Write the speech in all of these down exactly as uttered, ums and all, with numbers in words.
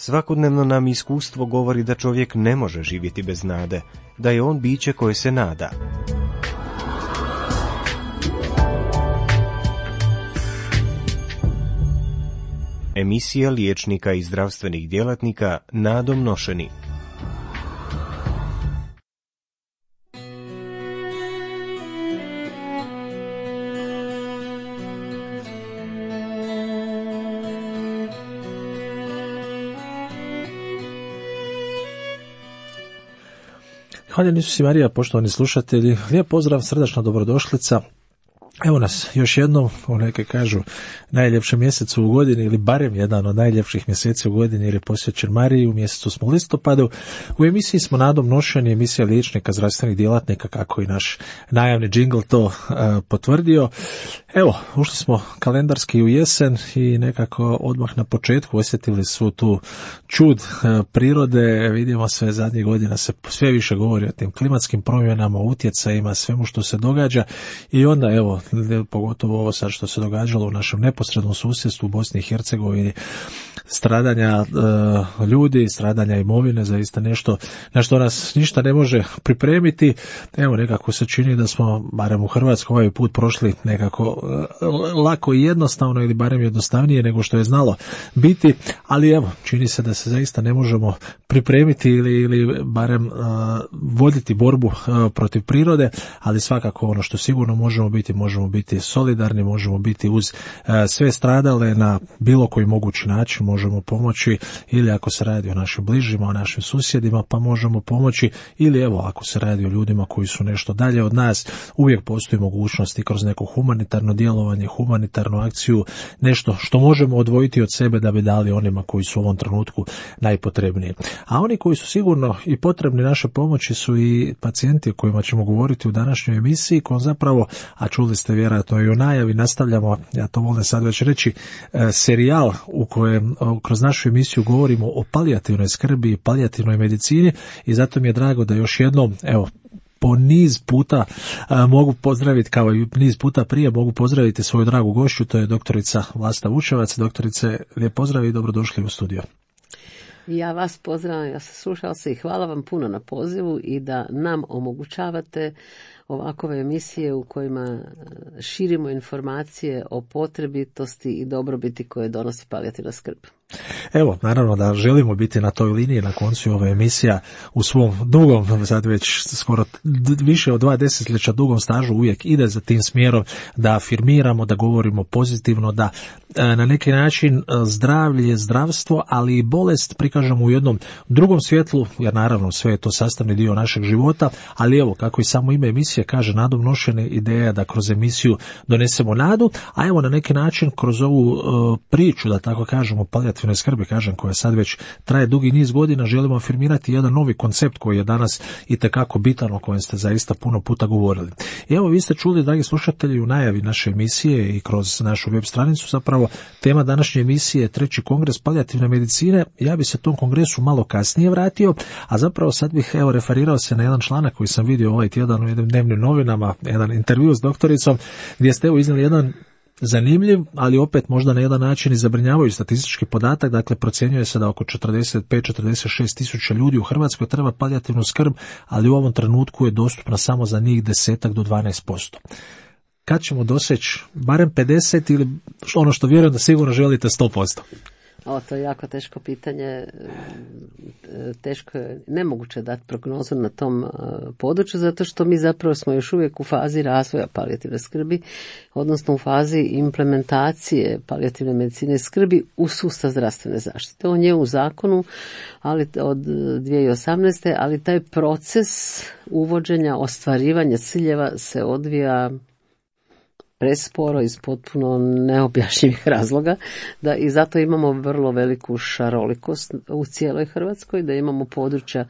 Svakodnevno nam iskustvo govori da čovjek ne može živjeti bez nade, da je on biće koje se nada. Emisija liječnika i zdravstvenih djelatnika nadom nošeni. Hvala Isus i Marija, poštovani slušatelji, lijep pozdrav, srdačna dobrodošlica. Evo nas još jednom u neke kažu najljepšem mjesecu u godini ili barem jedan od najljepših mjeseci u godini jer je posvećen Mariji, u mjesecu smo listopadu. U emisiji smo nadom nošeni, emisija liječnika zdravstvenih djelatnika, kako i naš najavni džingl to uh, potvrdio. Evo, ušli smo kalendarski u jesen i nekako odmah na početku osjetili su tu čud uh, prirode. Vidimo sve zadnjih godina se sve više govori o tim klimatskim promjenama, utjecajima, svemu što se događa i onda evo, pogotovo ovo sad što se događalo u našem neposrednom susjedstvu u Bosni i Hercegovini, stradanja e, ljudi, stradanja imovine, zaista nešto na što nas ništa ne može pripremiti. Evo, nekako se čini da smo, barem u Hrvatskoj, ovaj put prošli nekako e, lako i jednostavno ili barem jednostavnije nego što je znalo biti, ali evo, čini se da se zaista ne možemo pripremiti ili, ili barem e, voditi borbu e, protiv prirode, ali svakako ono što sigurno možemo biti, možemo biti solidarni, možemo biti uz e, sve stradale na bilo koji mogući način, možemo pomoći ili ako se radi o našim bližima, o našim susjedima, pa možemo pomoći ili evo ako se radi o ljudima koji su nešto dalje od nas, uvijek postoji mogućnost i kroz neko humanitarno djelovanje, humanitarnu akciju, nešto što možemo odvojiti od sebe da bi dali onima koji su u ovom trenutku najpotrebniji. A oni koji su sigurno i potrebni naše pomoći su i pacijenti o kojima ćemo govoriti u današnjoj emisiji, kojom zapravo, a čuli ste vjerojatno i u najavi, nastavljamo, ja to volim sad već reći, e, serijal u kojem kroz našu emisiju govorimo o palijativnoj skrbi i palijativnoj medicini i zato mi je drago da još jednom, evo, po niz puta a, mogu pozdraviti, kao i niz puta prije, mogu pozdraviti svoju dragu gošću, to je doktorica Vlasta Vučevac. Doktorice, lijep pozdrav i dobrodošli u studio. Ja vas pozdravljam, ja sam slušala se i hvala vam puno na pozivu i da nam omogućavate ovakove emisije u kojima širimo informacije o potrebitosti i dobrobiti koje donosi palijativna skrb. Evo, naravno da želimo biti na toj liniji, na koncu ova emisija u svom dugom, sad već skoro više od dva desetljeća dugom stažu uvijek ide za tim smjerom da afirmiramo, da govorimo pozitivno, da na neki način zdravlje, zdravstvo, ali i bolest prikažemo u jednom drugom svjetlu, jer naravno sve je to sastavni dio našeg života, ali evo, kako i samo ime emisije kaže, nadom nošene, ideja da kroz emisiju donesemo nadu, a evo na neki način kroz ovu uh, priču, da tako kažemo, palijativne skrbi, kažem, koja sad već traje dugi niz godina, želimo afirmirati jedan novi koncept koji je danas itekako bitan, o kojem ste zaista puno puta govorili. I evo, vi ste čuli, dragi slušatelji, u najavi naše emisije i kroz našu web stranicu, zapravo tema današnje emisije je treći kongres palijativne medicine. Ja bi se tom kongresu malo kasnije vratio, a zapravo sad bih evo referirao se na jedan članak koji sam vidio ovaj tjedan u jednim dnevnim novinama, jedan intervju s doktoricom, gdje ste evo iznijeli jedan zanimljiv, ali opet možda na jedan način i zabrinjavajući statistički podatak. Dakle, procjenjuje se da oko četrdeset pet do četrdeset šest tisuća ljudi u Hrvatskoj treba palijativnu skrb, ali u ovom trenutku je dostupna samo za njih desetak do dvanaest posto. Kad ćemo doseći barem pedeset ili ono što vjerujem da sigurno želite sto posto? O, to je jako teško pitanje, teško je, nemoguće dati prognozu na tom području, zato što mi zapravo smo još uvijek u fazi razvoja palijativne skrbi, odnosno u fazi implementacije palijativne medicine skrbi u sustav zdravstvene zaštite. On je u zakonu, ali od dvije tisuće osamnaeste. ali taj proces uvođenja, ostvarivanja ciljeva se odvija presporo iz potpuno neobjašnjivih razloga, da i zato imamo vrlo veliku šarolikost u cijeloj Hrvatskoj, da imamo područja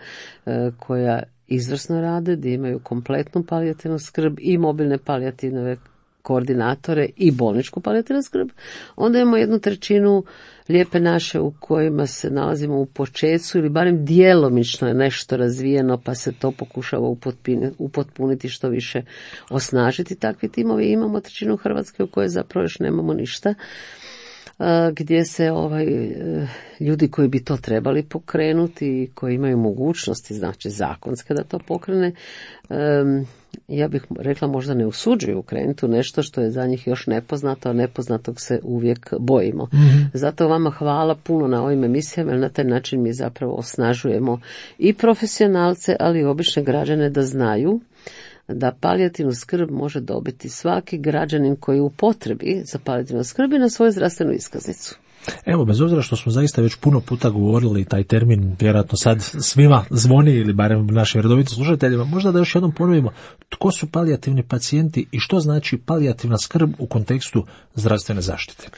e, koja izvrsno rade, da imaju kompletnu palijativnu skrb i mobilne palijativne koordinatore i bolničku palijativnu skrb. Onda imamo jednu trećinu lijepe naše u kojima se nalazimo u početku ili barem djelomično je nešto razvijeno pa se to pokušava upotpuniti, što više osnažiti takvi timovi. Imamo trećinu Hrvatske u kojoj zapravo još nemamo ništa. gdje se ovaj ljudi koji bi to trebali pokrenuti, koji imaju mogućnosti, znači zakonske da to pokrene, ja bih rekla možda ne usuđuju krenuti u nešto što je za njih još nepoznato, a nepoznatog se uvijek bojimo. Mm-hmm. Zato vama hvala puno na ovim emisijama, jer na taj način mi zapravo osnažujemo i profesionalce, ali i obične građane da znaju da palijativnu skrb može dobiti svaki građanin koji je u potrebi za palijativnu skrb i na svoju zdravstvenu iskaznicu. Evo, bez obzira što smo zaista već puno puta govorili, taj termin vjerojatno sad svima zvoni ili barem našim redovitim slušateljima, možda da još jednom ponovimo tko su palijativni pacijenti i što znači palijativna skrb u kontekstu zdravstvene zaštite.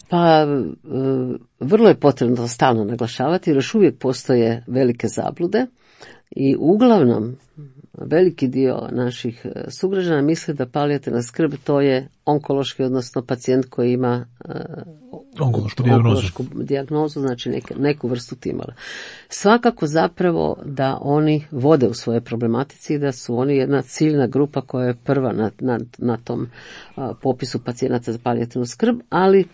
Pa vrlo je potrebno stalno naglašavati jer još uvijek postoje velike zablude i uglavnom veliki dio naših sugrađana misli da palijativna skrb to je onkološki, odnosno pacijent koji ima uh, onkološku dijagnozu. Onkološku dijagnozu, znači neke, neku vrstu tumora. Svakako zapravo da oni vode u svojoj problematici, da su oni jedna ciljna grupa koja je prva na, na, na tom uh, popisu pacijenata za palijativnu skrb, ali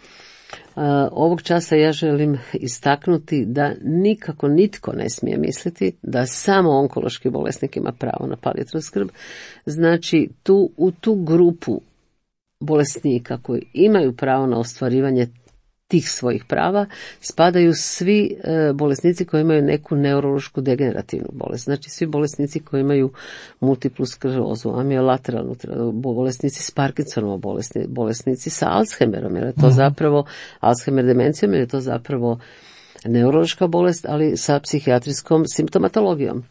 Uh, ovog časa ja želim istaknuti da nikako nitko ne smije misliti da samo onkološki bolesnik ima pravo na palijativnu skrb. Znači tu, u tu grupu bolesnika koji imaju pravo na ostvarivanje tih svojih prava spadaju svi e, bolesnici koji imaju neku neurološku degenerativnu bolest. Znači svi bolesnici koji imaju multiplu sklerozu, amiolateralnu, bolesnici s Parkinsonovom bolesti, bolesnici sa Alzheimerom, jer je to zapravo Alzheimer demencijom, jer je to zapravo neurološka bolest, ali sa psihijatrijskom simptomatologijom.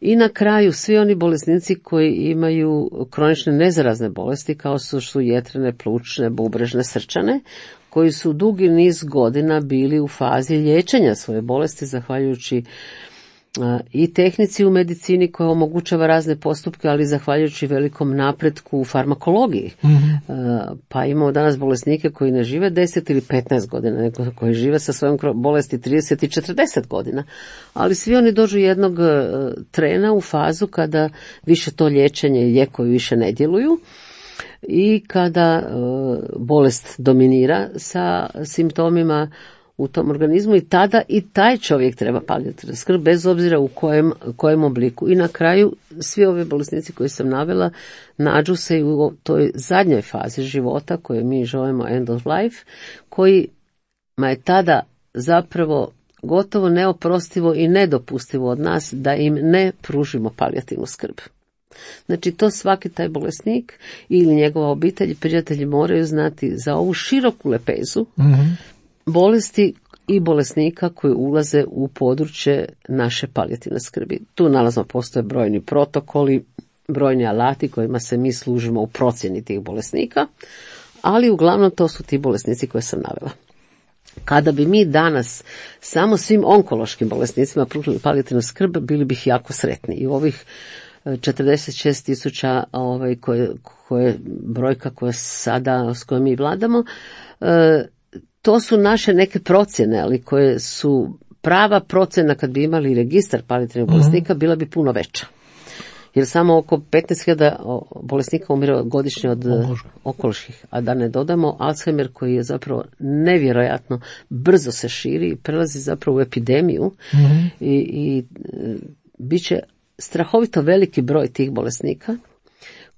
I na kraju svi oni bolesnici koji imaju kronične nezarazne bolesti kao su, su jetrene, plućne, bubrežne, srčane, koji su dugi niz godina bili u fazi liječenja svoje bolesti zahvaljujući a, i tehnici u medicini koja omogućava razne postupke, ali zahvaljujući velikom napretku u farmakologiji. Mm-hmm. A, pa imamo danas bolesnike koji ne žive deset ili petnaest godina, nego koji žive sa svojom bolesti trideset i četrdeset godina. Ali svi oni dođu jednog a, trena u fazu kada više to liječenje i lijekovi više ne djeluju. I kada e, bolest dominira sa simptomima u tom organizmu i tada i taj čovjek treba palijativnu skrb bez obzira u kojem, kojem obliku. I na kraju svi ovi bolesnici koji sam navela nađu se i u toj zadnjoj fazi života koju mi zovemo end of life, kojima je tada zapravo gotovo neoprostivo i nedopustivo od nas da im ne pružimo palijativnu skrb. Znači to svaki taj bolesnik ili njegova obitelj i prijatelji moraju znati za ovu široku lepezu mm-hmm. bolesti i bolesnika koji ulaze u područje naše palijativne skrbi. Tu nalazno postoje brojni protokoli, brojni alati kojima se mi služimo u procjeni tih bolesnika, ali uglavnom to su ti bolesnici koje sam navela. Kada bi mi danas samo svim onkološkim bolesnicima pružili palijativnu skrb, bili bih jako sretni. I ovih četrdeset šest tisuća ovaj, koje, koje brojka koja sada, s kojom mi vladamo, e, to su naše neke procjene, ali koje su prava procjena kad bi imali registar palijativnih bolesnika, bila bi puno veća. Jer samo oko petnaest hiljada bolesnika umire godišnje od onkoloških, a da ne dodamo Alzheimer koji je zapravo nevjerojatno brzo se širi i prelazi zapravo u epidemiju mm-hmm. i, i bit će strahovito veliki broj tih bolesnika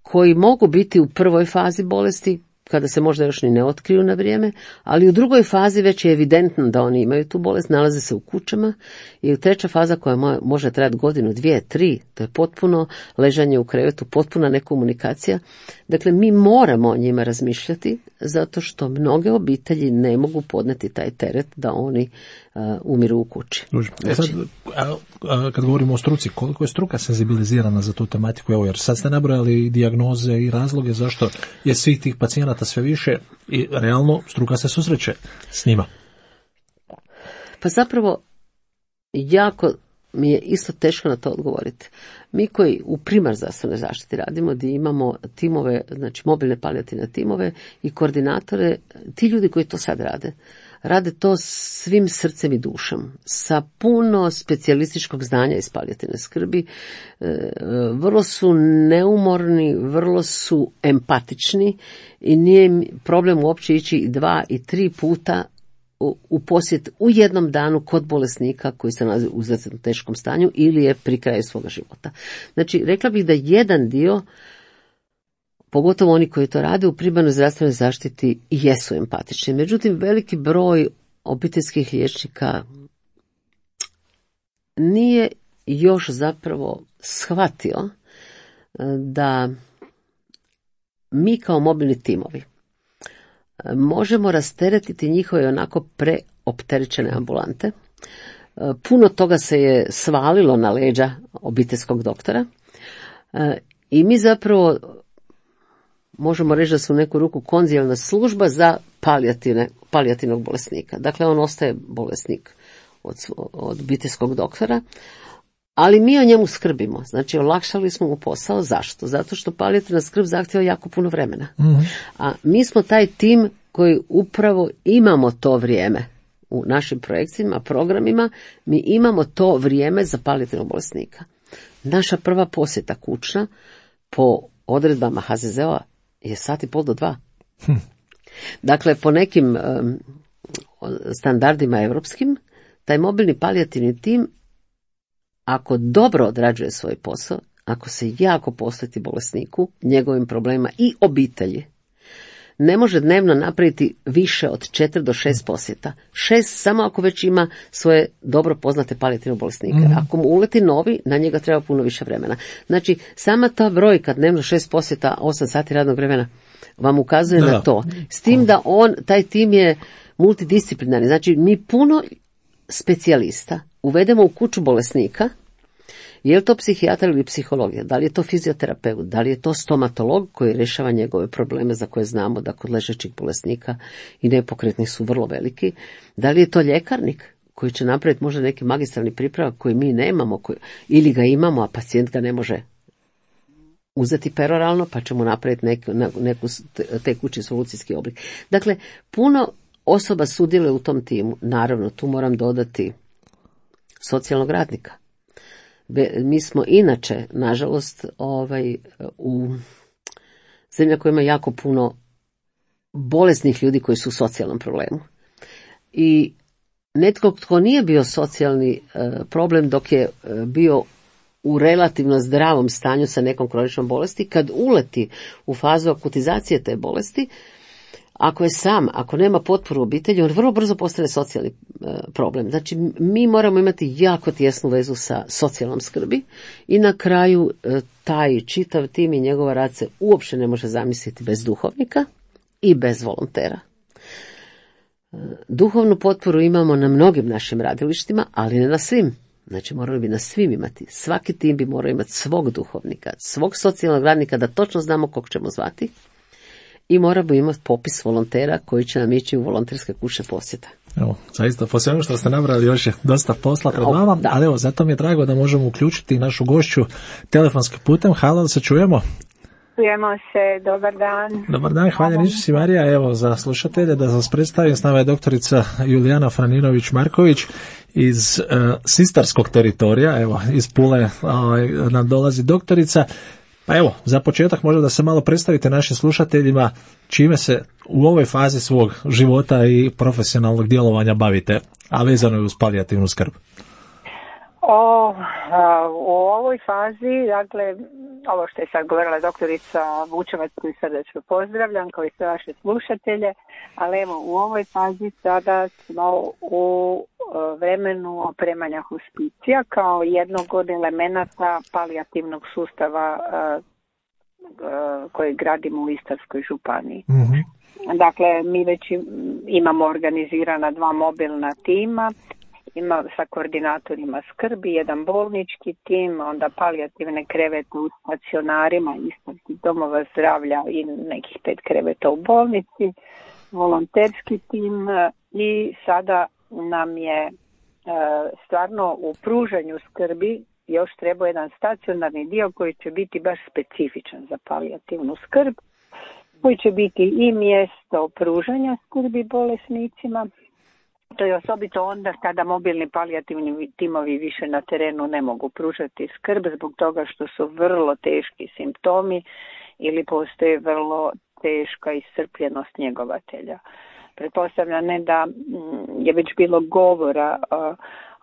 koji mogu biti u prvoj fazi bolesti kada se možda još ni ne otkriju na vrijeme, ali u drugoj fazi već je evidentno da oni imaju tu bolest, nalaze se u kućama i u treća faza koja može trajati godinu, dvije, tri, to je potpuno ležanje u krevetu, potpuna nekomunikacija. Dakle, mi moramo o njima razmišljati zato što mnoge obitelji ne mogu podneti taj teret da oni uh, umiru u kući. E sad, a, a, kad govorimo o struci, koliko je struka senzibilizirana za tu tematiku? Evo, jer sad ste nabrojali dijagnoze i razloge zašto je svih tih pacijenata sve više i realno struka se susreće s njima. Pa zapravo jako mi je isto teško na to odgovoriti. Mi koji u primarnoj zdravstvenoj zaštiti radimo, gdje imamo timove, znači mobilne palijativne timove i koordinatore, ti ljudi koji to sad rade, rade to svim srcem i dušom, sa puno specijalističkog znanja iz palijativne skrbi, vrlo su neumorni, vrlo su empatični i nije im problem uopće ići i dva i tri puta u posjet u jednom danu kod bolesnika koji se nalazi u izuzetno teškom stanju ili je pri kraju svoga života. Znači, rekla bih da jedan dio, pogotovo oni koji to rade u primarnoj zdravstvenoj zaštiti, jesu empatični. Međutim, veliki broj obiteljskih liječnika nije još zapravo shvatio da mi kao mobilni timovi možemo rasteretiti njihove onako preopterećene ambulante. Puno toga se je svalilo na leđa obiteljskog doktora i mi zapravo možemo reći da su u neku ruku konzilijarna služba za palijativne, palijativnog bolesnika. Dakle, on ostaje bolesnik od, od obiteljskog doktora, ali mi o njemu skrbimo. Znači, olakšali smo mu posao. Zašto? Zato što palijativna skrb zahtjeva jako puno vremena. Mm-hmm. A mi smo taj tim koji upravo imamo to vrijeme u našim projekcijama, programima, mi imamo to vrijeme za palijativnog bolesnika. Naša prva posjeta kućna po odredbama H Z Z O-a je sat i pol do dva. Hm. Dakle, po nekim um, standardima europskim, taj mobilni palijativni tim, ako dobro odrađuje svoj posao, ako se jako posveti bolesniku, njegovim problemima i obitelji, ne može dnevno napraviti više od četiri do šest posjeta. Šest samo ako već ima svoje dobro poznate palijativne bolesnike. Mm-hmm. Ako mu uleti novi, na njega treba puno više vremena. Znači, sama ta brojka dnevno šest posjeta, osam sati radnog vremena, vam ukazuje da. na to. S tim da on, taj tim je multidisciplinarni. Znači, mi puno specijalista uvedemo u kuću bolesnika. Je li to psihijatar ili psihologija? Da li je to fizioterapeut? Da li je to stomatolog koji rješava njegove probleme za koje znamo da kod ležećih bolesnika i nepokretnih su vrlo veliki? Da li je to ljekarnik koji će napraviti možda neki magistralni pripravak koji mi nemamo koji, ili ga imamo, a pacijent ga ne može uzeti peroralno, pa ćemo napraviti neku, neku tekući solucijski oblik. Dakle, puno osoba sudjeluje u tom timu. Naravno, tu moram dodati socijalnog radnika. Mi smo inače, nažalost, ovaj, u zemlja koja ima jako puno bolesnih ljudi koji su u socijalnom problemu. I netko tko nije bio socijalni problem dok je bio u relativno zdravom stanju sa nekom kroničnom bolesti, kad uleti u fazu akutizacije te bolesti, ako je sam, ako nema potporu obitelji, on vrlo brzo postane socijalni e, problem. Znači, mi moramo imati jako tjesnu vezu sa socijalnom skrbi i na kraju e, taj čitav tim i njegova rad se uopće ne može zamisliti bez duhovnika i bez volontera. E, duhovnu potporu imamo na mnogim našim radilištima, ali ne na svim. Znači, morali bi na svim imati. Svaki tim bi morao imati svog duhovnika, svog socijalnog radnika, da točno znamo kog ćemo zvati. I moramo imati popis volontera koji će nam ići u volonterske kućne posjete. Evo, zaista, po svemu što ste nabrali, još je dosta posla pred vama, da. Ali evo, zato mi je drago da možemo uključiti našu gošću telefonskim putem. Halo, da se čujemo? Čujemo se, dobar dan. Dobar dan, hvala Isus i Marija. Evo, za slušatelje da vas predstavim, s nama je doktorica Julijana Franinović-Marković iz uh, Sistarskog teritorija, evo, iz Pule uh, nam dolazi doktorica. Pa evo, za početak možda da se malo predstavite našim slušateljima čime se u ovoj fazi svog života i profesionalnog djelovanja bavite, a vezano je uz palijativnu skrb. O, a, u ovoj fazi, dakle, ovo što je sad govorila doktorica Vučevac, koju srdečno pozdravljam, kao i sve vaše slušatelje, ali evo, u ovoj fazi sada smo u vremenu opremanja hospicija kao jednog od elemenata palijativnog sustava uh, uh, koji gradimo u Istarskoj županiji. Mm-hmm. Dakle, mi već imamo organizirana dva mobilna tima, ima sa koordinatorima skrbi, jedan bolnički tim, onda palijativne krevete u stacionarima, istarskih domova zdravlja i nekih pet kreveta u bolnici, volonterski tim i sada nam je stvarno u pružanju skrbi još treba jedan stacionarni dio koji će biti baš specifičan za palijativnu skrb, koji će biti i mjesto pružanja skrbi bolesnicima. To je osobito onda kada mobilni palijativni timovi više na terenu ne mogu pružati skrb zbog toga što su vrlo teški simptomi ili postoji vrlo teška iscrpljenost njegovatelja. Pretpostavljam ne da je već bilo govora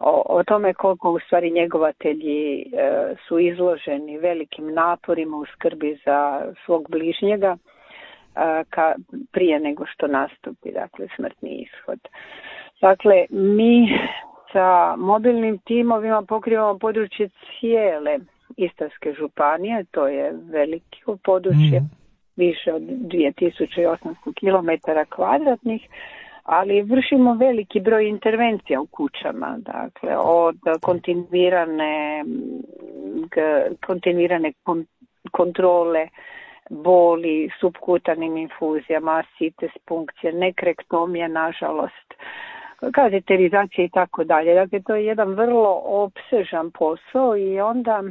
o, o tome koliko u stvari njegovatelji su izloženi velikim naporima u skrbi za svog bližnjega ka, prije nego što nastupi, dakle, smrtni ishod. Dakle, mi sa mobilnim timovima pokrivamo područje cijele Istarske županije, to je veliko područje, mm. više od dvije tisuće osamsto kilometara kvadratnih, ali vršimo veliki broj intervencija u kućama, dakle, od kontinuirane, kontinuirane kontrole boli, subkutanim infuzijama, sites punkcije, nekrektomije, nažalost, kateterizacije i tako dalje. Dakle, to je jedan vrlo opsežan posao i onda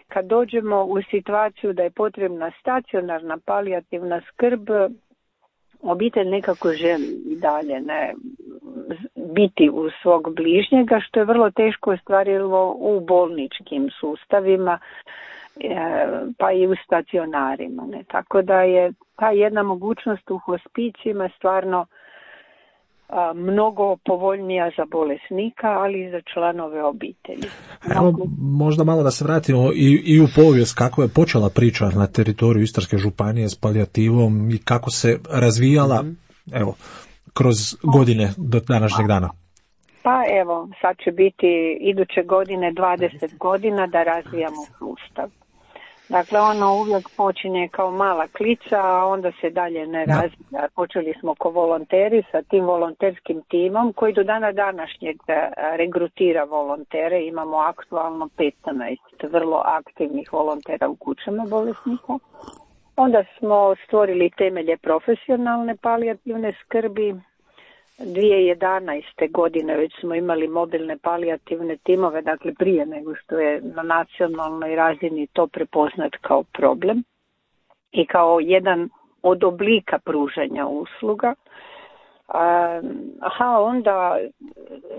kad dođemo u situaciju da je potrebna stacionarna palijativna skrb, obitelj nekako želi i dalje ne biti u svog bližnjega, što je vrlo teško ostvarilo u bolničkim sustavima, pa i u stacionarima. Ne? Tako da je ta jedna mogućnost u hospicijima stvarno a, mnogo povoljnija za bolesnika, ali i za članove obitelji. Evo, možda malo da se vratimo i, i u povijest, kako je počela priča na teritoriju Istarske županije s palijativom i kako se razvijala, mm-hmm. evo, kroz godine do današnjeg dana. Pa evo, sad će biti iduće godine dvadeset godina da razvijamo sustav. Dakle, ono uvijek počinje kao mala klica, a onda se dalje ne razvija. Počeli smo ko volonteri sa tim volonterskim timom koji do dana današnjeg regrutira volontere. Imamo aktualno petnaest vrlo aktivnih volontera u kućama bolesnika. Onda smo stvorili temelje profesionalne palijativne skrbi. dvije tisuće jedanaeste. godine već smo imali mobilne palijativne timove, dakle prije nego što je na nacionalnoj razini to prepoznat kao problem i kao jedan od oblika pružanja usluga. Aha, onda,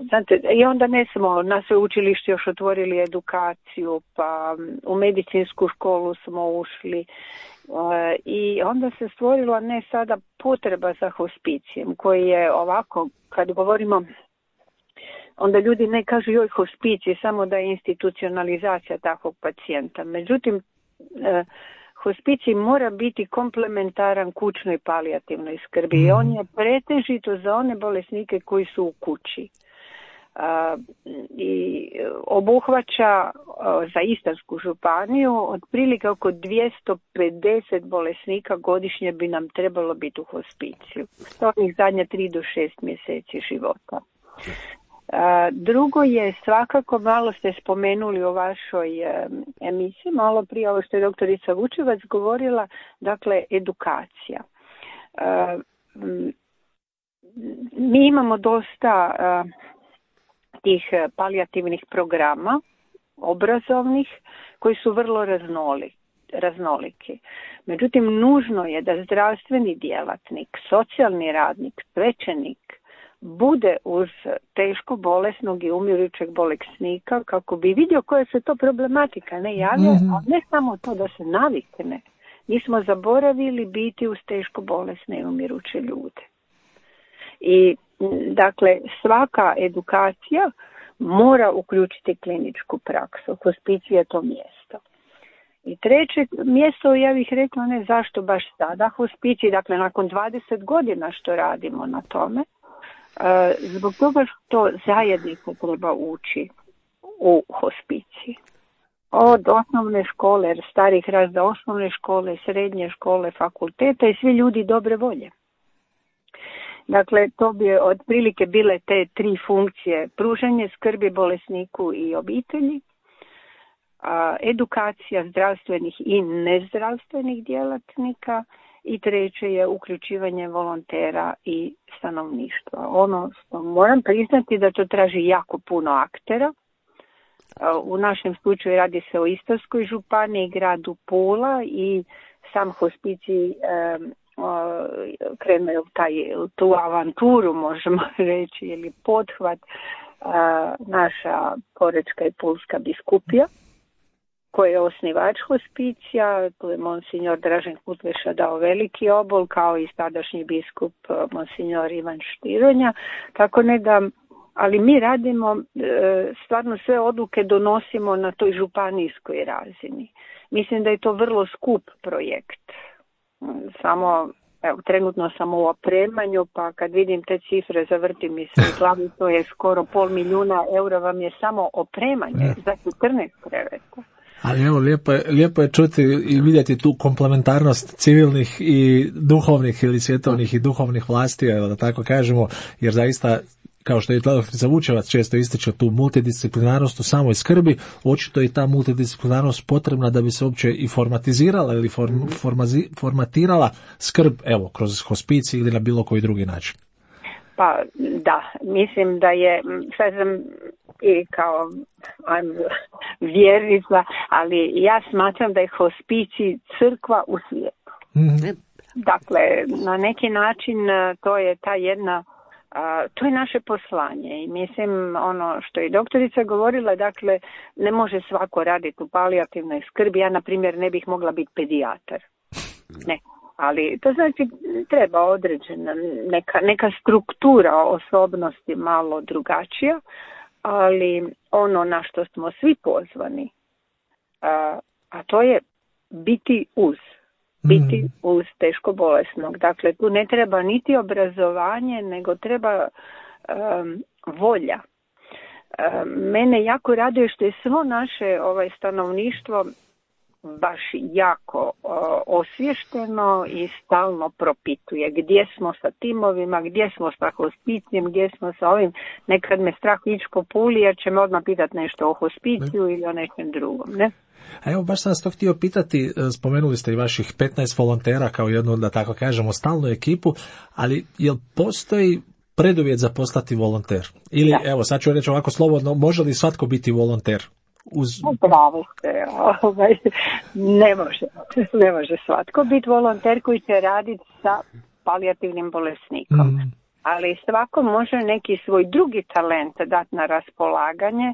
znate, i onda ne smo na sveučilištu još otvorili edukaciju, pa u medicinsku školu smo ušli. I onda se stvorila ne sada potreba za hospicijem koji je ovako, kad govorimo, onda ljudi ne kažu joj hospicij, samo da je institucionalizacija takvog pacijenta. Međutim, hospicij mora biti komplementaran kućnoj palijativnoj skrbi i on je pretežito za one bolesnike koji su u kući. Uh, i obuhvaća uh, za Istarsku županiju otprilike oko dvjesto pedeset bolesnika godišnje bi nam trebalo biti u hospiciju. To je zadnje tri do šest mjeseci života. Uh, drugo je svakako, malo ste spomenuli u vašoj uh, emisiji, malo prije ovo što je doktorica Vučevac govorila, dakle edukacija. Uh, mi imamo dosta uh, tih palijativnih programa obrazovnih koji su vrlo raznoli, raznoliki. Međutim, nužno je da zdravstveni djelatnik, socijalni radnik, svećenik bude uz teško bolesnog i umirućeg bolesnika kako bi vidio koja se to problematika ne javlja, mm-hmm. a ne samo to da se navikne. Mi smo zaboravili biti uz teško bolesne i umiruće ljude. I dakle, svaka edukacija mora uključiti kliničku praksu. Hospicij je to mjesto. I treće mjesto, ja bih rekla, ne zašto baš sada hospicij, dakle nakon dvadeset godina što radimo na tome, zbog toga što zajednica treba ući u hospicij. Od osnovne škole, jer starih razda osnovne škole, srednje škole, fakulteta i svi ljudi dobre volje. Dakle, to bi otprilike bile te tri funkcije: pružanje skrbi bolesniku i obitelji, a, edukacija zdravstvenih i nezdravstvenih djelatnika i treće je uključivanje volontera i stanovništva. Ono što moram priznati da to traži jako puno aktera. U našem slučaju radi se o Istarskoj županiji, gradu Pula i sam hospicij krenuo je u taj, tu avanturu, možemo reći, ili pothvat naša Porečka i Pulska biskupija, koji je osnivač hospicija. Tu je monsignor Dražen Kutleša dao veliki obol, kao i tadašnji biskup monsignor Ivan Štironja. Tako ne da, ali mi radimo, stvarno sve odluke donosimo na toj županijskoj razini. Mislim da je to vrlo skup projekt. Samo, evo, trenutno sam u opremanju, pa kad vidim te cifre zavrti mi se u glavi, to je skoro pol milijuna eura vam je samo opremanje ja. za četrnaest kreveta. Ali evo, lijepo je, lijepo je čuti i vidjeti tu komplementarnost civilnih i duhovnih ili svjetovnih i duhovnih vlasti, da tako kažemo, jer zaista, kao što je doktorica Vučevac često ističe tu multidisciplinarnost u samoj skrbi, očito je ta multidisciplinarnost potrebna da bi se uopće i formatizirala ili form, formazi, formatirala skrb, evo, kroz hospicij ili na bilo koji drugi način. Pa da, mislim da je, sad sam i kao vjernica, ali ja smatram da je hospicij crkva u svijetu. Mm-hmm. Dakle, na neki način to je ta jedna, to je naše poslanje i mislim ono što je doktorica govorila, dakle ne može svako raditi u palijativnoj skrbi. Ja na primjer ne bih mogla biti pedijatar. Ne. Ali to znači treba određena neka, neka struktura osobnosti malo drugačija, ali ono na što smo svi pozvani, a, a to je biti uz, biti mm. uz teško bolesnog. Dakle, tu ne treba niti obrazovanje, nego treba um, volja. Um, mene jako raduje što je svo naše ovaj, stanovništvo baš jako uh, osvješteno i stalno propituje gdje smo sa timovima, gdje smo sa hospicijem, gdje smo sa ovim. Nekad me strah ići po Puli jer će me odmah pitati nešto o hospiciju ne. ili o nečem drugom, ne? A evo, baš sam vas to htio pitati, spomenuli ste i vaših petnaest volontera kao jednu, da tako kažemo, stalnu ekipu, ali jel postoji preduvjet za postati volonter? Ili, da. Evo, sad ću reći ovako slobodno, može li svatko biti volonter? Uz... Bravo ste, ovaj, ne može, ne može svatko biti volonter koji će raditi sa palijativnim bolesnikom. Mm. Ali svako može neki svoj drugi talent dati na raspolaganje,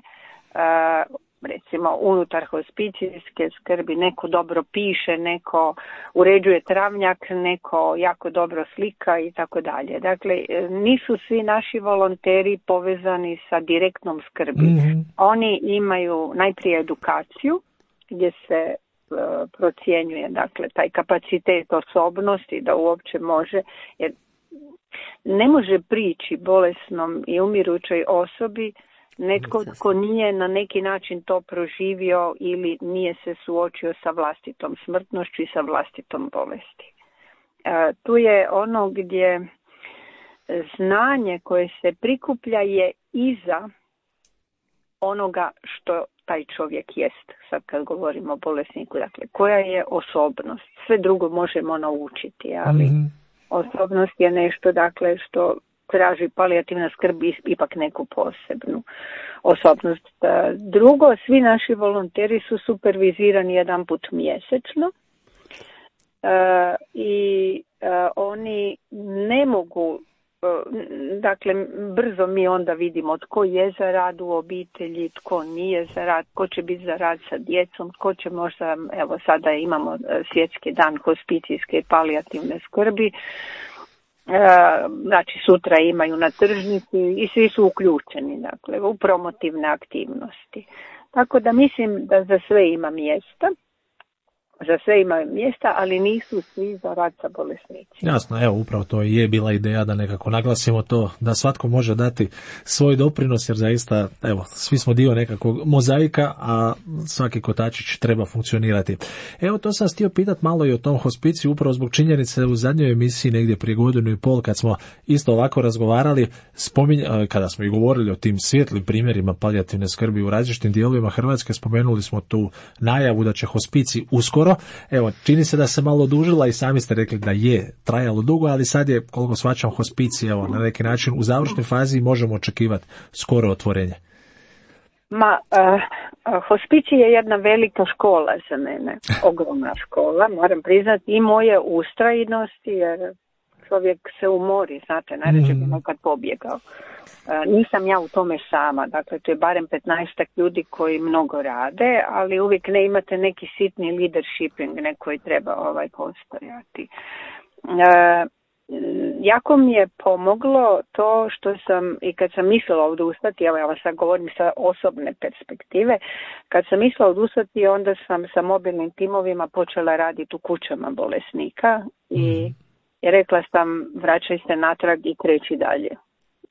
uh, recimo unutar hospicijske skrbi, neko dobro piše, neko uređuje travnjak, neko jako dobro slika i tako dalje. Dakle, nisu svi naši volonteri povezani sa direktnom skrbi. Mm-hmm. Oni imaju najprije edukaciju gdje se uh, procjenjuje, dakle, taj kapacitet osobnosti da uopće može, jer ne može prići bolesnom i umirućoj osobi netko tko nije na neki način to proživio ili nije se suočio sa vlastitom smrtnošću i sa vlastitom bolesti. E, tu je ono gdje znanje koje se prikuplja je iza onoga što taj čovjek jest, sad kad govorimo o bolesniku, dakle koja je osobnost. Sve drugo možemo naučiti, ali mm-hmm. osobnost je nešto, dakle, što traži palijativna skrb ipak neku posebnu osobnost. Drugo, svi naši volonteri su supervizirani jedan put mjesečno e, i e, oni ne mogu, e, dakle, brzo mi onda vidimo tko je za rad u obitelji, tko nije za rad, tko će biti za rad sa djecom, tko će možda, evo sada imamo svjetski dan hospicijske i palijativne skrbi, znači sutra imaju na tržnici i svi su uključeni, dakle, u promotivne aktivnosti. Tako da mislim da za sve ima mjesta, za sve ima mjesta, ali nisu svi za rad sa bolesnicima. Jasno, evo, upravo to je bila ideja da nekako naglasimo to, da svatko može dati svoj doprinos, jer zaista, evo, svi smo dio nekakvog mozaika, a svaki kotačić treba funkcionirati. Evo, to sam htio pitati malo i o tom hospiciju, upravo zbog činjenice u zadnjoj emisiji negdje prije godinu i pol, kad smo isto ovako razgovarali, spominj, kada smo i govorili o tim svijetlim primjerima palijativne skrbi u različitim dijelovima Hrvatske, spomenuli smo tu najavu da će hospicij uskoro skoro. Evo, čini se da se malo odužila i sami ste rekli da je trajalo dugo, ali sad je, koliko shvaćam, hospicij, evo, na neki način u završnoj fazi možemo očekivati skoro otvorenje. Ma, uh, hospicij je jedna velika škola za mene, ogromna škola, moram priznati, i moje ustrajnosti, jer čovjek se umori, znate, najređe bi nekad pobjegao. Uh, nisam ja u tome sama, dakle to je barem petnaestak ljudi koji mnogo rade, ali uvijek ne imate neki sitni leadershiping, neki treba ovaj postojati. Uh, Jako mi je pomoglo to što sam, i kad sam mislila odustati, evo ja vas sad govorim sa osobne perspektive, kad sam mislila odustati, onda sam sa mobilnim timovima počela raditi u kućama bolesnika i, i rekla sam vraćaj se natrag i kreći dalje,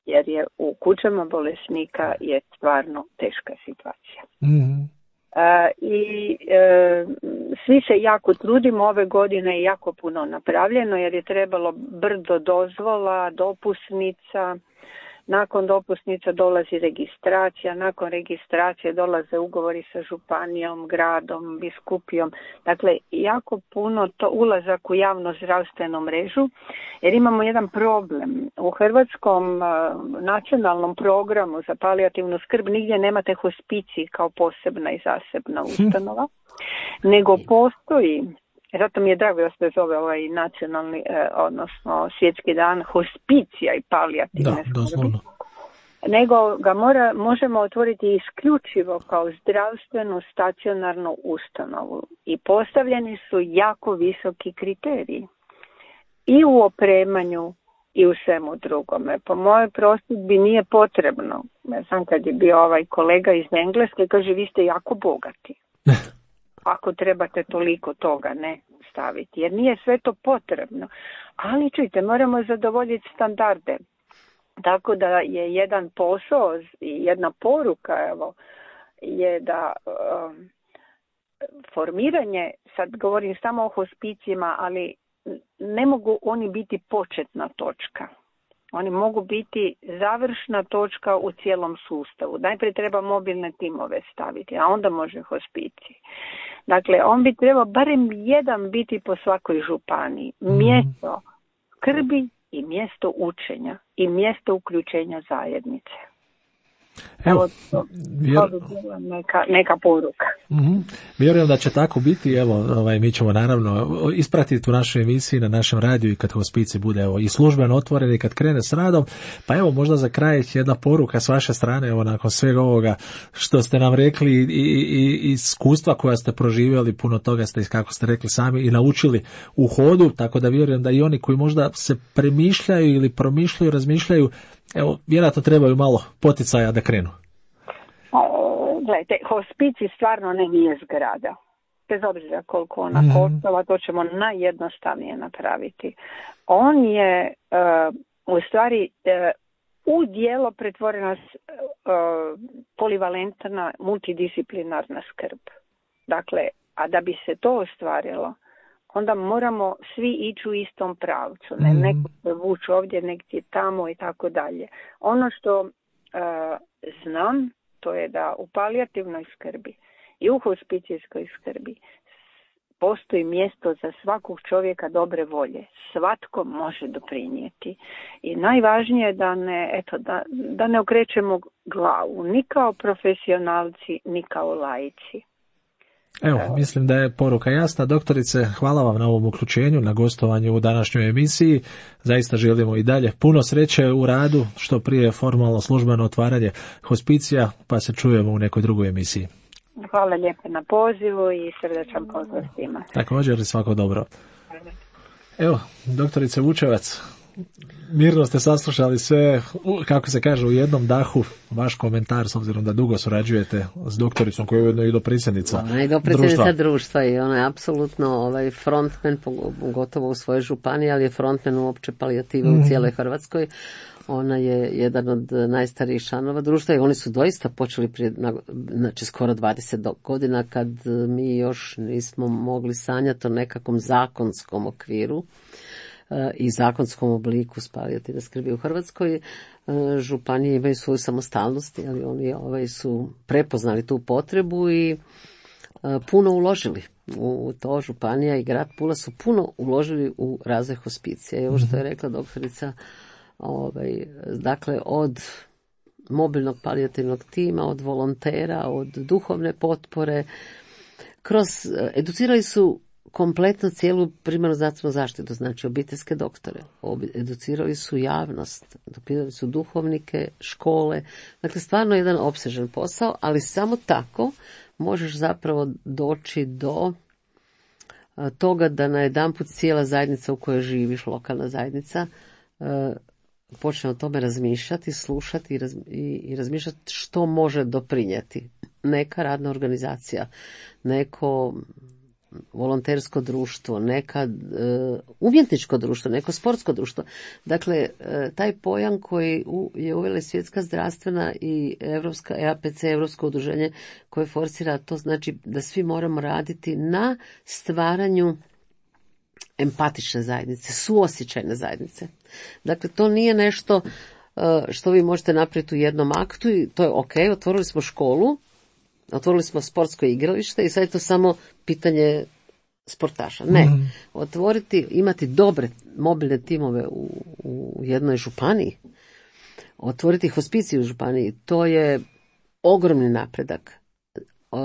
jer je u kućama bolesnika je stvarno teška situacija. Mm-hmm. Uh, i uh, svi se jako trudimo, ove godine je jako puno napravljeno jer je trebalo brdo dozvola, dopusnica, nakon dopusnica dolazi registracija, nakon registracije dolaze ugovori sa županijom, gradom, biskupijom, dakle jako puno to ulazak u javno zdravstvenu mrežu jer imamo jedan problem. U hrvatskom uh, nacionalnom programu za palijativnu skrb nigdje nemate hospicij kao posebna i zasebna ustanova, nego postoji, zato mi je drago da se zove ovaj nacionalni, eh, odnosno svjetski dan hospicija i palijativne skrbi, nego ga mora, možemo otvoriti isključivo kao zdravstvenu stacionarnu ustanovu i postavljeni su jako visoki kriteriji i u opremanju i u svemu drugome. Po mojoj prosudbi nije potrebno, ja znam kad je bio ovaj kolega iz Engleske, kaže vi ste jako bogati. Ako trebate toliko toga ne staviti, jer nije sve to potrebno. Ali čujte, moramo zadovoljiti standarde. Tako da je jedan posao i jedna poruka, evo, je da um, formiranje, sad govorim samo o hospicijima, ali ne mogu oni biti početna točka. Oni mogu biti završna točka u cijelom sustavu. Najprije treba mobilne timove staviti, a onda može hospicij. Dakle, on bi trebao barem jedan biti po svakoj županiji. Mjesto skrbi i mjesto učenja i mjesto uključenja zajednice. Evo, vjer... neka, neka poruka. Mm-hmm. Vjerujem da će tako biti. Evo, ovaj, mi ćemo naravno ispratiti u našoj emisiji na našem radiju i kad hospicij bude evo, i službeno otvoren i kad krene s radom. Pa evo, možda za kraj jedna poruka s vaše strane, evo, nakon svega ovoga što ste nam rekli i, i, i iskustva koja ste proživjeli, puno toga ste, kako ste rekli sami, i naučili u hodu, tako da vjerujem da i oni koji možda se premišljaju ili promišljaju, razmišljaju, evo, vjerojatno trebaju malo poticaja da krenu. Gledajte, hospicij stvarno ne nije zgrada. Bez obzira koliko ona mm. koštala, to ćemo najjednostavnije napraviti. On je uh, u stvari uh, u dijelo pretvorena uh, polivalentna, multidisciplinarna skrb. Dakle, a da bi se to ostvarilo, onda moramo svi ići u istom pravcu. Ne, mm. neko se vuče ovdje, negdje tamo i tako dalje. Ono što uh, znam, to je da u palijativnoj skrbi i u hospicijskoj skrbi postoji mjesto za svakog čovjeka dobre volje. Svatko može doprinijeti. I najvažnije je da ne, eto, da, da ne okrećemo glavu ni kao profesionalci, ni kao laici. Evo, mislim da je poruka jasna. Doktorice, hvala vam na ovom uključenju, na gostovanju u današnjoj emisiji. Zaista želimo i dalje puno sreće u radu, što prije formalno službeno otvaranje hospicija, pa se čujemo u nekoj drugoj emisiji. Hvala lijepo na pozivu i srdačan pozdrav svima. Također, svako dobro. Evo, doktorice Vučevac, mirno ste saslušali sve, kako se kaže, u jednom dahu. Vaš komentar, s obzirom da dugo surađujete s doktoricom koja je ujedno i dopredsjednica društva. Ona je dopredsjednica društva i ona je apsolutno ovaj frontman, gotovo u svojoj županiji, ali je frontman uopće palijative mm. u cijeloj Hrvatskoj. Ona je jedan od najstarijih članova društva i oni su doista počeli prije, znači skoro dvadeset godina, kad mi još nismo mogli sanjati o nekakvom zakonskom okviru i zakonskom obliku palijativne skrbi u Hrvatskoj. Županije imaju svoju samostalnost, ali oni ovaj, su prepoznali tu potrebu i puno uložili u to. Županija i grad Pula su puno uložili u razvoj hospicija. I ovo što je rekla doktorica, ovaj, dakle od mobilnog palijativnog tima, od volontera, od duhovne potpore, kroz, educirali su kompletno cijelu primarnu zdravstvenu zaštitu, znači obiteljske doktore, educirali su javnost, educirali su duhovnike, škole, dakle stvarno jedan opsežan posao, ali samo tako možeš zapravo doći do toga da na jedanput cijela zajednica u kojoj živiš, lokalna zajednica, počne o tome razmišljati, slušati i, raz, i, i razmišljati što može doprinijeti. Neka radna organizacija, neko volontersko društvo, neka e, umjetničko društvo, neko sportsko društvo. Dakle, e, taj pojam koji u, je uvela Svjetska zdravstvena i Evropska, E A P C, Evropsko udruženje koje forsira, to znači da svi moramo raditi na stvaranju empatične zajednice, suosjećajne zajednice. Dakle, to nije nešto uh, što vi možete napraviti u jednom aktu i to je ok, otvorili smo školu, otvorili smo sportsko igralište i sad je to samo pitanje sportaša. Ne, mm. otvoriti, imati dobre mobilne timove u, u jednoj županiji, otvoriti hospiciju u županiji, to je ogromni napredak. Uh,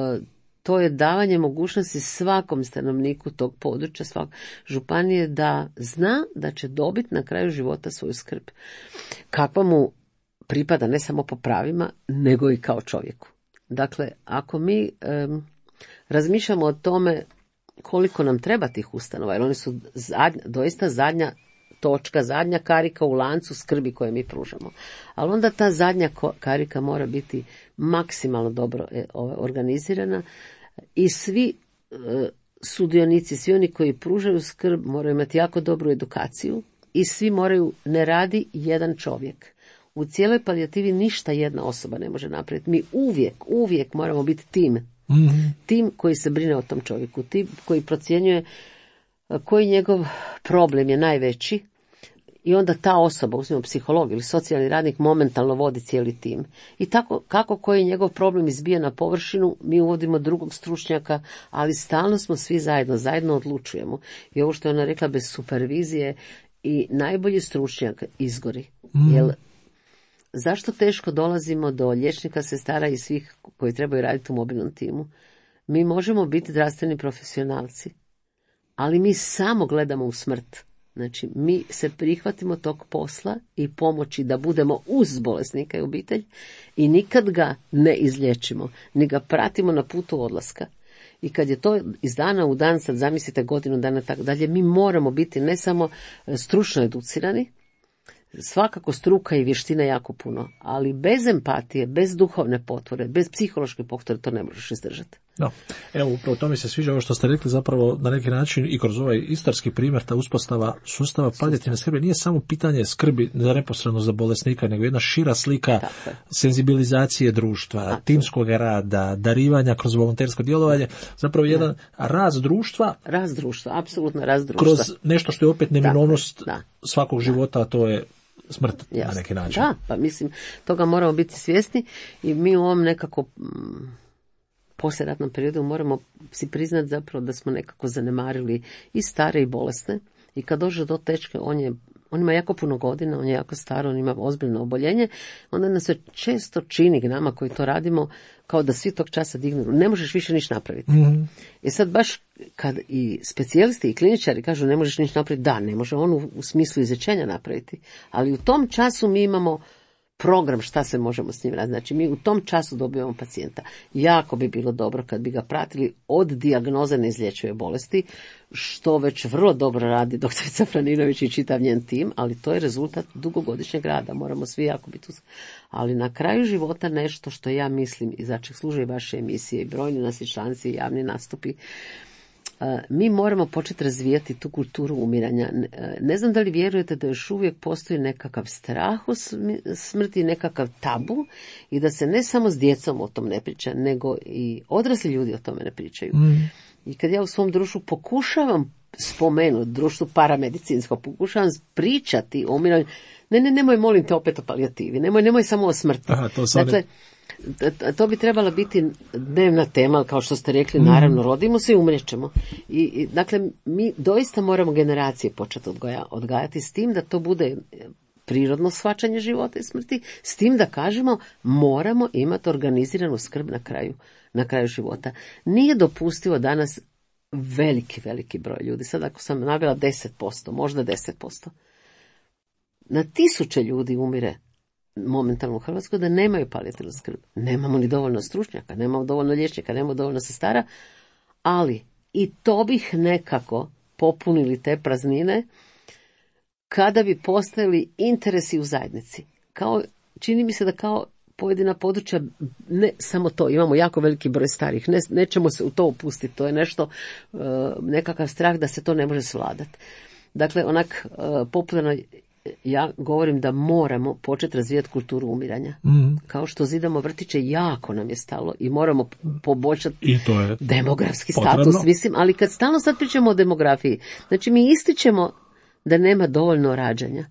To je davanje mogućnosti svakom stanovniku tog područja, svak županije da zna da će dobiti na kraju života svoju skrb. Kakva mu pripada ne samo po pravima, nego i kao čovjeku. Dakle, ako mi um, razmišljamo o tome koliko nam treba tih ustanova, jer oni su zadnja, doista zadnja točka, zadnja karika u lancu skrbi koje mi pružamo. Ali onda ta zadnja karika mora biti maksimalno dobro organizirana i svi e, sudionici, svi oni koji pružaju skrb moraju imati jako dobru edukaciju i svi moraju, ne radi jedan čovjek. U cijeloj palijativi ništa jedna osoba ne može napraviti. Mi uvijek, uvijek moramo biti tim. Mm-hmm. Tim koji se brine o tom čovjeku, tim koji procjenjuje koji njegov problem je najveći i onda ta osoba, uzmimo psiholog ili socijalni radnik, momentalno vodi cijeli tim. I tako, kako koji njegov problem izbija na površinu, mi uvodimo drugog stručnjaka, ali stalno smo svi zajedno, zajedno odlučujemo. I ovo što je ona rekla, bez supervizije i najbolji stručnjak izgori. Mm. Jer zašto teško dolazimo do liječnika, sestara i svih koji trebaju raditi u mobilnom timu? Mi možemo biti zdravstveni profesionalci, ali mi samo gledamo u smrt. Znači, mi se prihvatimo tog posla i pomoći da budemo uz bolesnika i obitelj i nikad ga ne izliječimo, ni ga pratimo na putu odlaska. I kad je to iz dana u dan, sad zamislite godinu dana tako dalje, mi moramo biti ne samo stručno educirani, svakako struka i vještina jako puno, ali bez empatije, bez duhovne potpore, bez psihološke potpore to ne možeš izdržati. No, evo, upravo to mi se sviđa ovo što ste rekli, zapravo na neki način i kroz ovaj istarski primjer, ta uspostava sustava palijativne skrbi nije samo pitanje skrbi za neposredno za bolesnika, nego jedna šira slika senzibilizacije društva, Tako. timskog rada, darivanja kroz volontersko djelovanje, zapravo jedan da. rast društva. Rast društva, apsolutno rast društva. Kroz nešto što je opet neminovnost svakog da. života, a to je smrt Jasne. na neki način. Da, pa mislim, toga moramo biti svjesni i mi u ovom nekako poslijeratnom periodu moramo si priznati zapravo da smo nekako zanemarili i stare i bolesne i kad dođe do tečke, on je on ima jako puno godina, on je jako star, on ima ozbiljno oboljenje, onda nas se često čini nama koji to radimo kao da svi tog časa dignu, ne možeš više niš napraviti. Mm-hmm. I sad baš kad i specijalisti i kliničari kažu ne možeš niš napraviti, da, ne može on u, u smislu izlječenja napraviti, ali u tom času mi imamo program šta se možemo s njim raditi. Znači mi u tom času dobivamo pacijenta. Jako bi bilo dobro kad bi ga pratili od dijagnoze neizlječive bolesti, što već vrlo dobro radi doktorica Franinović i čitav njen tim, ali to je rezultat dugogodišnjeg rada. Moramo svi jako biti uz... Ali na kraju života nešto što ja mislim i za čeg služe vaše emisije i brojni nas i članci i javni nastupi, mi moramo početi razvijati tu kulturu umiranja. Ne znam da li vjerujete da još uvijek postoji nekakav strah u smrti, nekakav tabu i da se ne samo s djecom o tom ne priča, nego i odrasli ljudi o tome ne pričaju. Mm. I kad ja u svom društvu pokušavam spomenuti društvu paramedicinsko, pokušavam pričati o umiranju. Ne, ne, nemoj, molim te, opet o palijativi, nemoj, nemoj samo o smrti. Aha, to dakle, to bi trebala biti dnevna tema, kao što ste rekli, naravno, rodimo se i umrećemo. I, i, dakle, mi doista moramo generacije početi odgoja, odgajati s tim da to bude prirodno shvaćanje života i smrti, s tim da kažemo moramo imati organiziranu skrb na kraju, na kraju života. Nije dopustivo danas veliki, veliki broj ljudi, sad ako sam navela deset posto, možda deset posto, na tisuće ljudi umire momentalno u Hrvatskoj da nemaju palijativnu skrb. Nemamo ni dovoljno stručnjaka, nemamo dovoljno liječnika, nemamo dovoljno sestara, ali i to bih nekako popunili te praznine kada bi postojali interesi u zajednici. Kao, čini mi se da kao pojedina područja, ne samo to, imamo jako veliki broj starih, ne, nećemo se u to upustiti, to je nešto, nekakav strah da se to ne može svladati. Dakle, onak popularno, ja govorim da moramo početi razvijati kulturu umiranja. Mm. Kao što zidamo vrtiće, jako nam je stalo i moramo poboljšati I to je demografski potrebno. Status, mislim, ali kad stalno sad pričamo o demografiji, znači mi ističemo da nema dovoljno rađanja,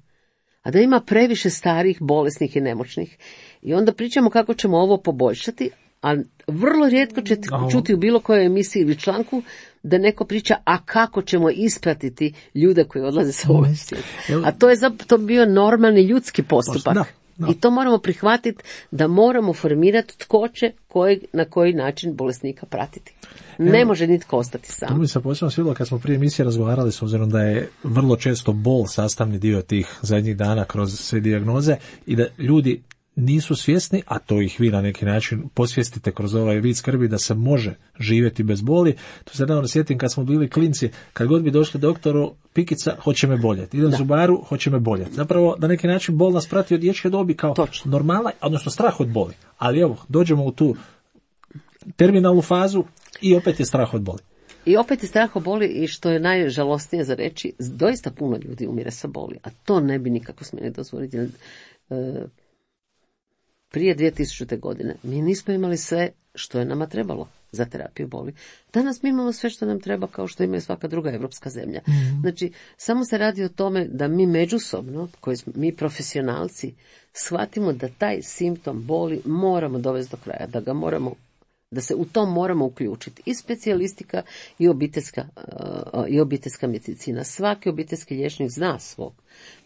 a da ima previše starih, bolesnih i nemoćnih. I onda pričamo kako ćemo ovo poboljšati, a vrlo rijetko ćete čuti u bilo kojoj emisiji ili članku da neko priča, a kako ćemo ispratiti ljude koji odlaze sa ovog svijeta. A to je to bio normalni ljudski postupak. Da, da. I to moramo prihvatiti da moramo formirati tko će kojeg, na koji način bolesnika pratiti. Ne Evo, može nitko ostati sam. To mi se posebno svidjelo kad smo prije emisije razgovarali, s obzirom da je vrlo često bol sastavni dio tih zadnjih dana kroz sve dijagnoze i da ljudi nisu svjesni, a to ih vi na neki način posvijestite kroz ovaj vid skrbi da se može živjeti bez boli. To se nedavno sjetim kad smo bili klinci, kad god bi došli doktoru, pikica, hoće me boljeti. Idem zubaru, hoće me boljeti. Zapravo, na neki način bol nas prati od dječje dobi kao Točno. normala, odnosno strah od boli. Ali evo, dođemo u tu terminalnu fazu i opet je strah od boli. I opet je strah od boli i što je najžalostnije za reći, doista puno ljudi umire sa boli, a to ne bi nikako smjeli dozvoliti. Jer, e, prije dvije tisućite. godine mi nismo imali sve što je nama trebalo za terapiju boli. Danas mi imamo sve što nam treba kao što ima i svaka druga evropska zemlja. Mm-hmm. Znači, samo se radi o tome da mi međusobno, koji smo, mi profesionalci, shvatimo da taj simptom boli moramo dovesti do kraja, da ga moramo, da se u tom moramo uključiti. I specijalistika i obiteljska, uh, i obiteljska medicina. Svaki obiteljski liječnik zna svog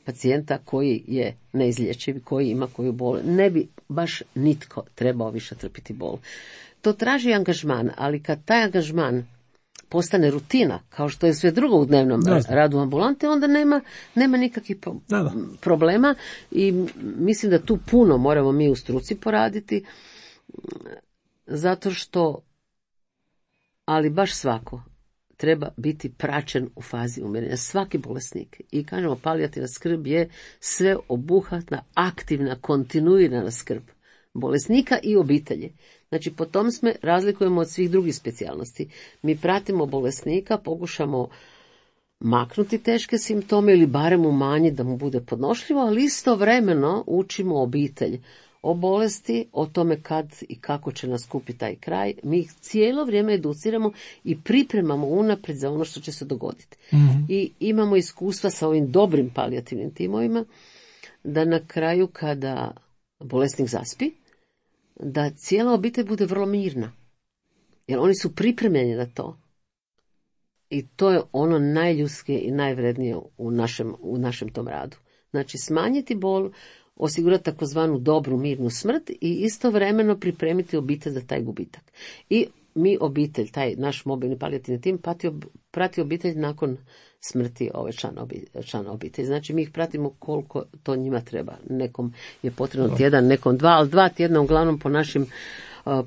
pacijenta koji je neizlječiv, koji ima koju bol. Ne bi baš nitko trebao više trpiti bol. To traži angažman, ali kad taj angažman postane rutina, kao što je sve drugo u dnevnom da, radu ambulante, onda nema, nema nikakvih pro- da, da. problema i mislim da tu puno moramo mi u struci poraditi, zato što, ali baš svako treba biti praćen u fazi umirenja. Svaki bolesnik. I kažemo, palijativna skrb je sveobuhvatna, aktivna, kontinuirana skrb bolesnika i obitelji. Znači, po tom sme razlikujemo od svih drugih specijalnosti. Mi pratimo bolesnika, pokušamo maknuti teške simptome ili barem umanjiti da mu bude podnošljivo, ali istovremeno učimo obitelj o bolesti, o tome kad i kako će naskupiti taj kraj. Mi ih cijelo vrijeme educiramo i pripremamo unaprijed za ono što će se dogoditi. Mm-hmm. I imamo iskustva sa ovim dobrim palijativnim timovima, da na kraju kada bolesnik zaspi, da cijela obitelj bude vrlo mirna. Jer oni su pripremljeni na to. I to je ono najljudskije i najvrednije u našem, u našem tom radu. Znači, smanjiti bol, osigurati takozvanu dobru, mirnu smrt i istovremeno pripremiti obitelj za taj gubitak. I mi obitelj, taj naš mobilni palijativni tim, prati, prati obitelj nakon smrti ove člana, člana obitelji. Znači, mi ih pratimo koliko to njima treba. Nekom je potrebno tjedan, nekom dva, ali dva tjedna, uglavnom po našim uh,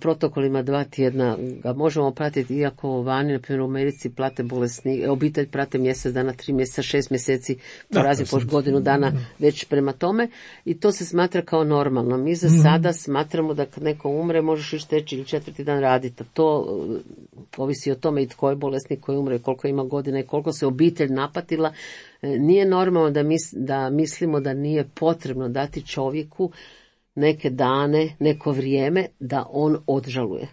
protokolima dva tjedna ga možemo pratiti, iako vani, na primjer u Americi, plate bolesni, obitelj prate mjesec dana, tri mjeseca, šest mjeseci, porazi po godinu dana već prema tome i to se smatra kao normalno. Mi za mm-hmm. sada smatramo da kad neko umre, možeš još treći ili četvrti dan raditi. To uh, ovisi o tome i tko je bolesnik koji umre, koliko ima godina i koliko se obitelj napatila. Nije normalno da, mis, da mislimo da nije potrebno dati čovjeku neke dane, neko vrijeme da on odžaluje.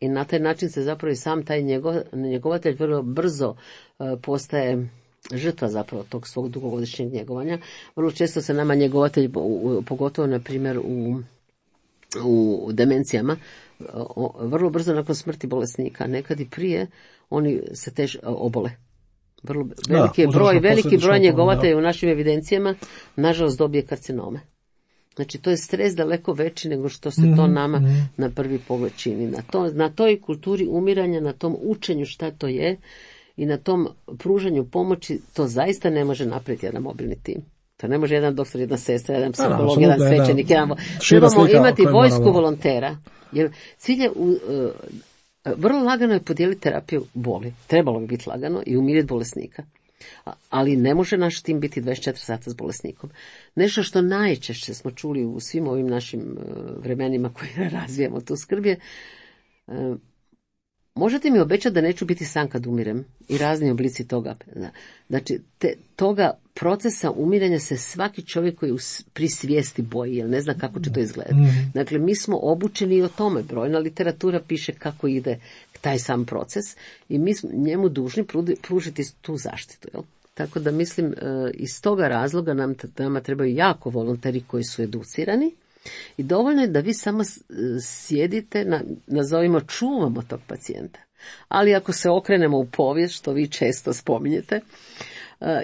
I na taj način se zapravo i sam taj njego, njegovatelj vrlo brzo uh, postaje žrtva zapravo tog svog dugogodišnjeg njegovanja. Vrlo često se nama njegovatelj, pogotovo na primjer u, u demencijama, vrlo brzo nakon smrti bolesnika, nekad i prije, oni se tež obole. Vrlo veliki da, broj, veliki broj njegovatelja u našim evidencijama, nažalost, dobije karcinome. Znači, to je stres daleko veći nego što se to nama mm-hmm. na prvi pogled čini. Na, to, na toj kulturi umiranja, na tom učenju šta to je i na tom pružanju pomoći, to zaista ne može napraviti jedan mobilni tim. To ne može jedan doktor, jedna sestra, jedan psiholog, jedan svećenik, jedan... Trebamo imati vojsku volontera. Jer cilj je... U, uh, vrlo lagano je podijeliti terapiju boli. Trebalo bi biti lagano i umiriti bolesnika. Ali ne može naš tim biti dvadeset četiri sata s bolesnikom. Nešto što najčešće smo čuli u svim ovim našim vremenima koje razvijamo tu skrb je, možete mi obećati da neću biti sam kad umirem i razni oblici toga. Znači, te, toga procesa umiranja se svaki čovjek koji pri svijesti boji, jer ne zna kako će to izgledati. Dakle, mi smo obučeni i o tome. Brojna literatura piše kako ide taj sam proces i mi smo njemu dužni pružiti tu zaštitu. Jel? Tako da mislim, iz toga razloga nam, nama trebaju jako volonteri koji su educirani i dovoljno je da vi samo sjedite, na, nazovimo čuvamo tog pacijenta. Ali ako se okrenemo u povijest, što vi često spominjete,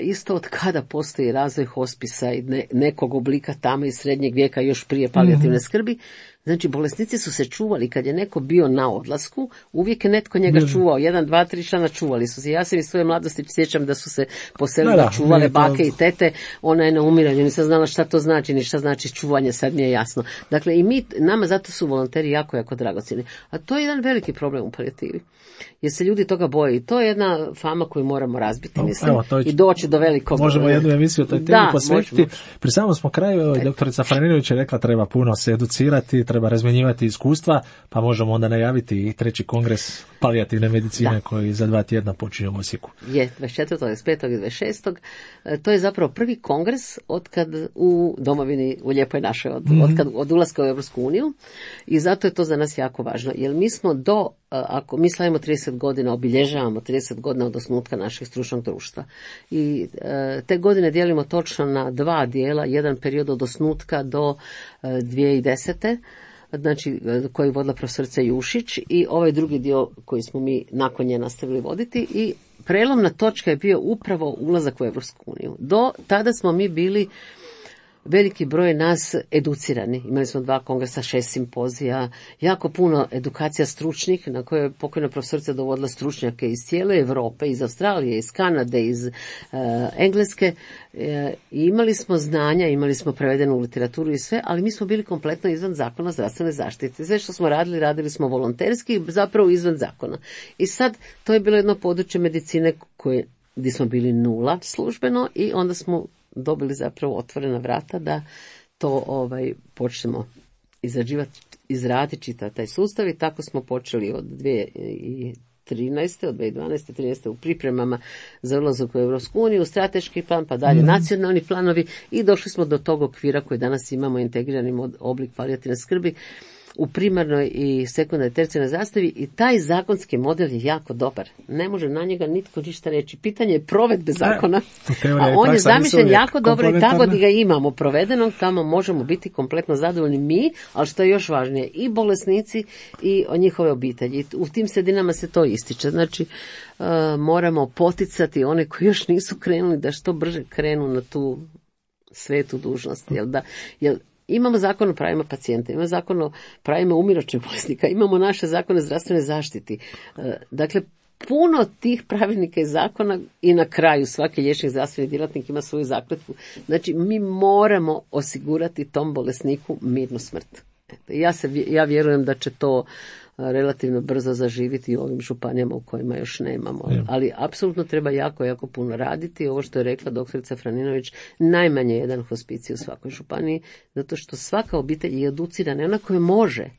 isto od kada postoji razvoj hospisa i ne, nekog oblika tamo iz srednjeg vijeka još prije palijativne mm-hmm. skrbi, znači bolesnici su se čuvali. Kad je neko bio na odlasku, uvijek je netko njega mm-hmm. čuvao. Jedan, dva, tri člana čuvali su se. Ja se iz svoje mladosti sjećam da su se poselili da, čuvale bake i tete. Ona je na umiranju. Nisam znala šta to znači, ni šta znači čuvanje. Sad mi je jasno. Dakle, i mi, nama zato su volonteri jako, jako dragocjeni. A to je jedan veliki problem u palijativi. Jer se ljudi toga boje. I to je jedna fama koju moramo razbiti, mislim. Evo, i doći do velikog... Možemo jednu emisiju o toj temi posvetiti. Pri samom smo kraju, doktorica Franinović je rekla treba puno se educirati, treba razmjenjivati iskustva, pa možemo onda najaviti i treći kongres palijativne medicine da. Koji za dva tjedna počinje u Osijeku. Je, dvadeset četvrtog, dvadeset petog i dvadeset šestog To je zapravo prvi kongres otkad u domovini, u Lijepoj našoj, od, mm-hmm. otkad, od ulaska u Europsku uniju i zato je to za nas jako važno. Jer mi smo do, ako mi slavimo trideset godina, obilježavamo trideset godina od osnutka našeg stručnog društva. I te godine dijelimo točno na dva dijela, jedan period od osnutka do dvije tisuće desete znači koji je vodila profesorica Jušić i ovaj drugi dio koji smo mi nakon nje nastavili voditi i prelomna točka je bio upravo ulazak u Europsku uniju. Do tada smo mi bili veliki broj nas educirani. Imali smo dva kongresa, šest simpozija, jako puno edukacija stručnih na koje je pokojna profesorica dovodila stručnjake iz cijele Europe, iz Australije, iz Kanade, iz uh, Engleske. E, imali smo znanja, imali smo prevedenu literaturu i sve, ali mi smo bili kompletno izvan zakona o zdravstvenoj zaštiti. Sve što smo radili, radili smo volonterski, zapravo izvan zakona. I sad, to je bilo jedno područje medicine koje, gdje smo bili nula službeno i onda smo dobili zapravo otvorena vrata da to ovaj počnemo izrađivati, izraditi čitav taj sustav i tako smo počeli od dvije tisuće trinaeste od dvije tisuće dvanaeste trinaeste u pripremama za ulazak u Europsku uniju, strateški plan, pa dalje mm-hmm. nacionalni planovi i došli smo do tog okvira koji danas imamo integrirani oblik palijativne skrbi u primarnoj i sekundarnoj tercijarnoj zastavi i taj zakonski model je jako dobar. Ne može na njega nitko ništa reći. Pitanje je provedbe zakona, a on je zamišljen jako dobro i tako da ga imamo provedenog, tamo možemo biti kompletno zadovoljni mi, ali što je još važnije, i bolesnici i njihove obitelji. U tim sredinama se to ističe. Znači, uh, moramo poticati one koji još nisu krenuli da što brže krenu na tu svetu dužnost. Jel da, jel, imamo zakon o pravima pacijenta, imamo zakon o pravima umirajućeg bolesnika, imamo naše zakone o zdravstvenoj zaštiti. Dakle, puno tih pravilnika i zakona i na kraju svaki liječnik, zdravstveni djelatnik ima svoju zakletvu. Znači, mi moramo osigurati tom bolesniku mirnu smrt. Ja, se, ja vjerujem da će to relativno brzo zaživiti u ovim županijama u kojima još nemamo. Je. Ali apsolutno treba jako, jako puno raditi. Ovo što je rekla doktorica Franinović, najmanje jedan hospicij u svakoj županiji, zato što svaka obitelj je educirana, ona koja može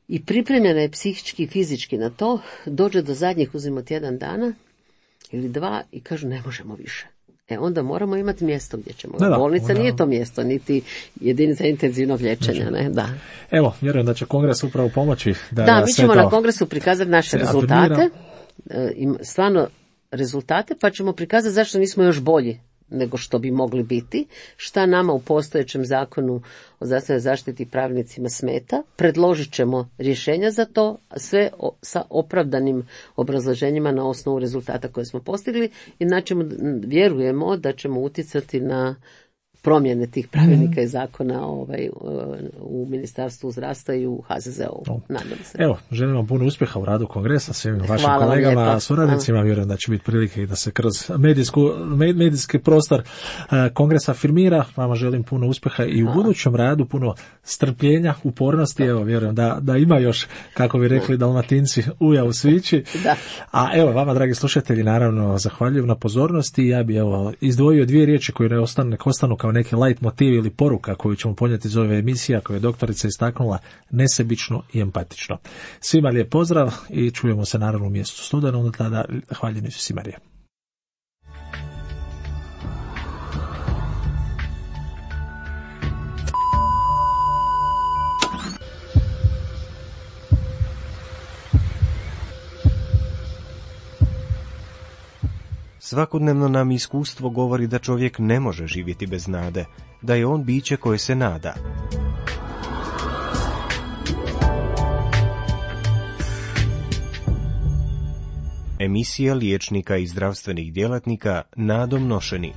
i pripremljena je psihički i fizički na to, dođe do zadnjih, uzimo tjedan dana ili dva i kažu ne možemo više. e onda moramo imati mjesto gdje ćemo. Da, da, Bolnica onda... nije to mjesto, niti jedinica intenzivnog liječenja. Ne? Da. Evo, vjerujem da će kongres upravo pomoći. Da, da mi ćemo to... na kongresu prikazati naše rezultate, stvarno rezultate, pa ćemo prikazati zašto nismo još bolji nego što bi mogli biti, šta nama u postojećem zakonu o zdravstvenoj zaštiti i pravilnicima smeta, predložit ćemo rješenja za to, sve o, sa opravdanim obrazloženjima na osnovu rezultata koje smo postigli i znači vjerujemo da ćemo utjecati na promjene tih pravilnika i zakona ovaj, u Ministarstvu zdravstva i u H Z Z O. Nadam se. Evo, želim vam puno uspjeha u radu kongresa, svim vašim Hvala kolegama, suradnicima. Vjerujem da će biti prilike i da se kroz medijsku, medijski prostor kongresa afirmira. Vama želim puno uspjeha i u Hvala. budućem radu, puno strpljenja, upornosti. Evo, vjerujem da, da ima još, kako bi rekli Dalmatinci, uja u svići. Da. A evo, vama, dragi slušatelji, naravno, zahvaljujem na pozornosti. Ja bi evo izdvojio dvije riječi koje ne ostanu, ne ostanu kao neki light motiv ili poruka koju ćemo ponijeti iz ove emisije, koju je doktorica istaknula, nesebično i empatično. Svima lijep pozdrav i čujemo se naravno u mjestu studenom, do tada hvaljeni Isusi Marija. Svakodnevno nam iskustvo govori da čovjek ne može živjeti bez nade, da je on biće koje se nada. Emisija liječnika i zdravstvenih djelatnika nadom nošeni.